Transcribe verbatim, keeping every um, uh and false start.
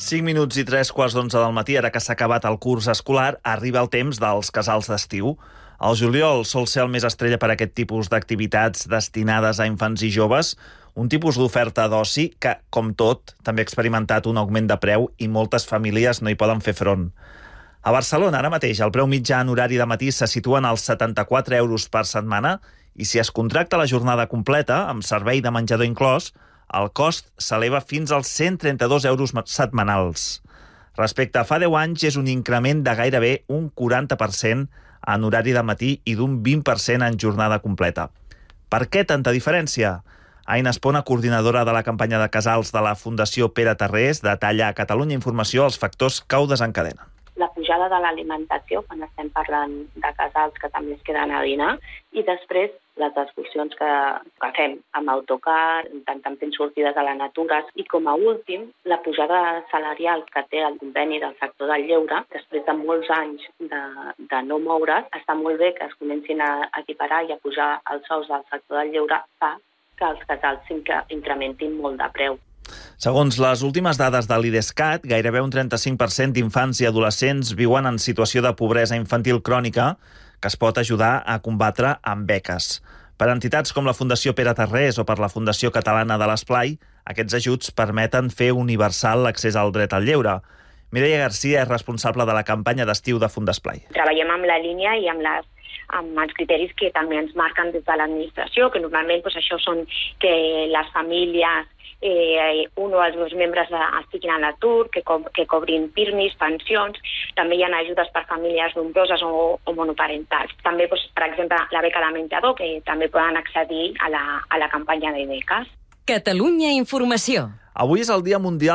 cinc minuts i tres quarts d'onze del matí, ara que s'ha acabat el curs escolar, arriba el temps dels casals d'estiu. El juliol sol ser el més estrella per a aquest tipus d'activitats destinades a infants i joves, un tipus d'oferta d'oci que, com tot, també ha experimentat un augment de preu i moltes famílies no hi poden fer front. A Barcelona, ara mateix, el preu mitjà en horari de matí se situa en els setanta-quatre euros per setmana i si es contracta la jornada completa, amb servei de menjador inclòs, el cost s'eleva fins als cent trenta-dos euros setmanals. Respecte a fa deu anys, és un increment de gairebé un quaranta per cent en horari de matí i d'un vint per cent en jornada completa. Per què tanta diferència? Aina Espona, coordinadora de la campanya de casals de la Fundació Pere Tarrés, detalla a Catalunya Informació els factors que ho desencadenen. La pujada de l'alimentació, quan estem parlant de casals que també es queden a dinar, i després les excursions que, que fem amb autocar, intentant fent sortides a la natura, i com a últim, la pujada salarial que té el conveni del sector del lleure, després de molts anys de, de no moure's, està molt bé que es comencin a equiparar i a pujar els sous del sector del lleure, fa que els casals incrementin molt de preu. Segons les últimes dades de l'IDESCAT, gairebé un trenta-cinc per cent d'infants i adolescents viuen en situació de pobresa infantil crònica que es pot ajudar a combatre amb beques. Per entitats com la Fundació Pere Tarrés o per la Fundació Catalana de l'Esplai, aquests ajuts permeten fer universal l'accés al dret al lleure. Mireia Garcia és responsable de la campanya d'estiu de Fundesplai. Treballem amb la línia i amb les amb els criteris que també ens marquen des de l'administració, que normalment doncs, això són que les famílies, eh, un o els dos membres estiguin a l'atur, que, co que cobrin pirmis, pensions, també hi ha ajudes per famílies nombroses o, o monoparentals. També, doncs, per exemple, la beca de menjador, que també poden accedir a la, a la campanya de beques. Catalunya Informació. Avui és el Dia Mundial